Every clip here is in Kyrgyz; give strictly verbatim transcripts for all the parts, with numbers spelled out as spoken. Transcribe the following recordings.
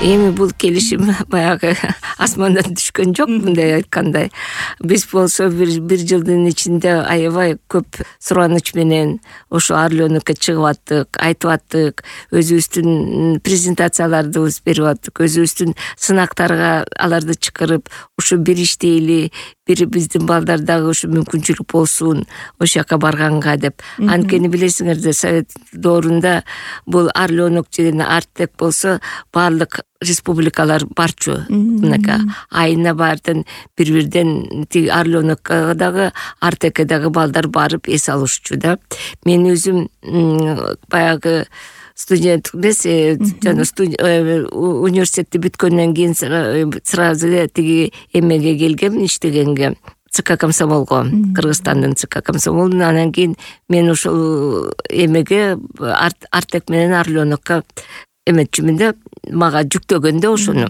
эми бул келишим баягы асмандан түшкөн жок, мындай айткандай. Биз болсо бир бир жылдын ичинде аябай көп сураныч менен ошо Орленокко чыгып аттык, айтып аттык, өзүбүздүн презентацияларды берип аттык, өзүбүздүн сынактарга аларды чакырып, ушу бир иштейли, бир биздин балдар дагы ушу мүмкүнчүлүк болсун ошол жака барганга деп. Анткени билесиңерде, Совет доорунда бул Орленок деген Артек болсо баардык республикалар барчу. Мынакей айына баардын бир-бирден тиги Орленокко дагы, Артекке дагы балдар барып эс алышчу да. Мен өзүм баягы студент эмес, жана университетти бүткөндөн кийин сразу эле тиги эмеге келгем, иштегенге. ЦК комсомолго, Кыргызстандын ЦК комсомолунун. Анан кийин мен ошол эмеге Артек менен Орленокко эметчүмүн да, мага жүктөгөндө ошону.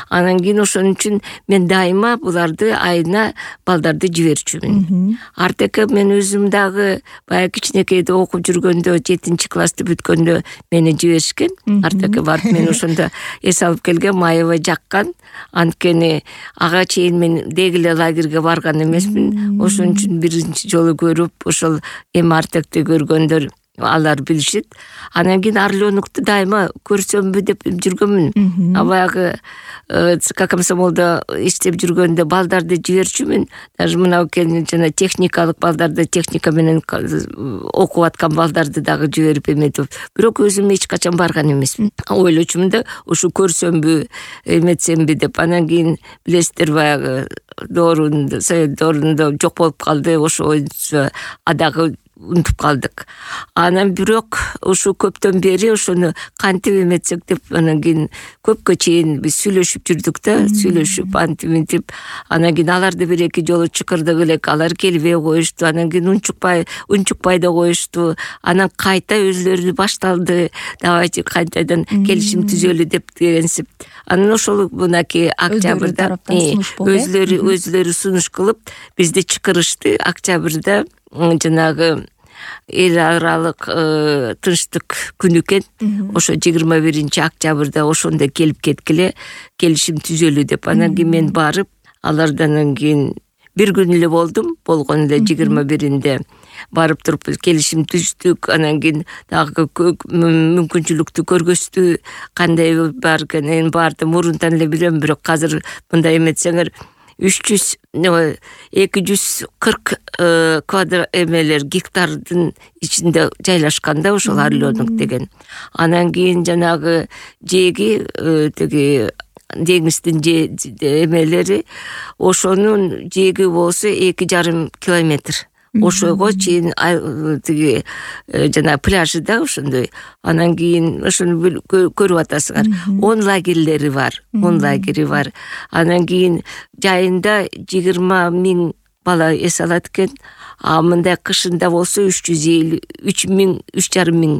Анан кийин ошон үчүн мен дайыма буларды айына балдарды жиберчүмүн. Артекке мен өзүм дагы баягы кичинекейде окуп жүргөндө, жетинчи классты бүткөндө мени жиберишкен. Артекке барып мен ошондо эс алып келгем, аябай жаккан. Анткени ага чейин мен деги эле лагерге барган эмесмин. Ошон үчүн биринчи жолу көрүп, ошол эми Артекти көргөндөр алар билишет. Анан кийин Орленокту дайыма көрсөмбү деп жүргөнмүн. А баягы ЦК комсомолдо иштеп жүргөндө балдарды жиберчүмүн. Даже мына жана техникалык балдарды, техника менен окуп аткан балдарды дагы жиберип эметип, бирок өзүм эч качан барган эмесмин. Ойлочумун да, ушу көрсөмбү, эметсемби деп. Анан кийин билесиздер, баягы доорунда, Совет доорунда жок болуп калды, ошо адагы унутуп калдык. Анан бирок ушу көптөн бери ошону кантип эметсек деп, анан кийин көпкө чейин биз сүйлөшүп жүрдүк да, сүйлөшүп антип мынтип. Анан кийин аларды бир эки жолу чакырдык элек, алар келбей коюшту. Анан кийин унчукпай, унчукпай да коюшту. Анан кайта өзлөрү башталды. Давайте кайтадан келишим түзөлү деп дегенсип. Анан ошол мынакей октябрда өзлөрү өзлөрү сунуш кылып бизди чакырышты. Октябрда жанагы эл аралык тынчтык күнү экен. Ошо жыйырма биринчи октябрда ошондо келип кеткиле, келишим түзөлү деп. Анан кийин мен барып, алардан кийин бир күн эле болдум. Болгон эле жыйырма биринде барып туруп келишим түздүк. Анан кийин дагы мүмкүнчүлүктү көргөздү. Кандай бар экенин барды мурунтан эле билем, бирок азыр мындай эметсеңер үч жүз эки жүз кырк квадрат эмелер гектардын ичинде жайлашканда ошол Орленок деген. Анан кийин жанагы жеги тиги деңиздин эмелери, ошонун жеги болсо эки жарым километр. Ошого чейин тиги жана пляжы да ошондой. Анан кийин ошону көрүп атасыңар. он лагерлери бар, он лагери бар. Анан кийин жайында жыйырма миң бала эс алат экен. А мындай кышында болсо үч жүз элүү, үч миң, үч жарым миң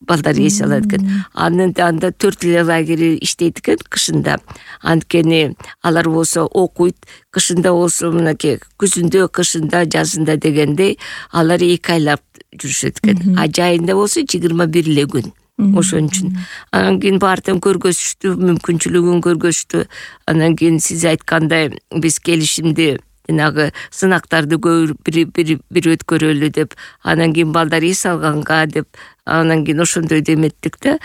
балдар эс алат экен. Анын анда төрт эле лагери иштейт экен кышында. Анткени алар болсо окуйт, кышында болсо мынакей күзүндө, кышында, жазында дегендей алар эки айлап жүрүшөт экен. А жайында болсо жыйырма бир эле күн. Ошон үчүн. Анан кийин баардыгын көргөзүштү, мүмкүнчүлүгүн көргөзүштү. Анан кийин сиз айткандай биз келишимди жанагы сынактарды бир бир бир өткөрөлү деп, анан кийин балдар эс алганга деп, анан кийин ошондой деметтик да.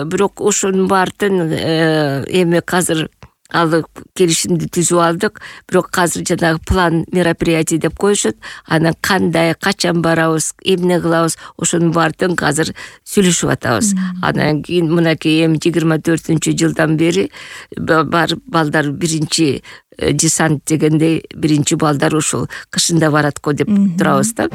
Бирок ошонун баардын эми азыр алып келишимди түзүп алдык. Бирок азыр жанагы план мероприятий деп коюшат. Анан кандай, качан барабыз, эмне кылабыз, ошонун баардыгын азыр сүйлөшүп атабыз. Анан кийин мынакей эми жыйырма төртүнчү жылдан бери барып балдар биринчи десант дегендей, биринчи балдар ошол кышында барат го деп турабыз да.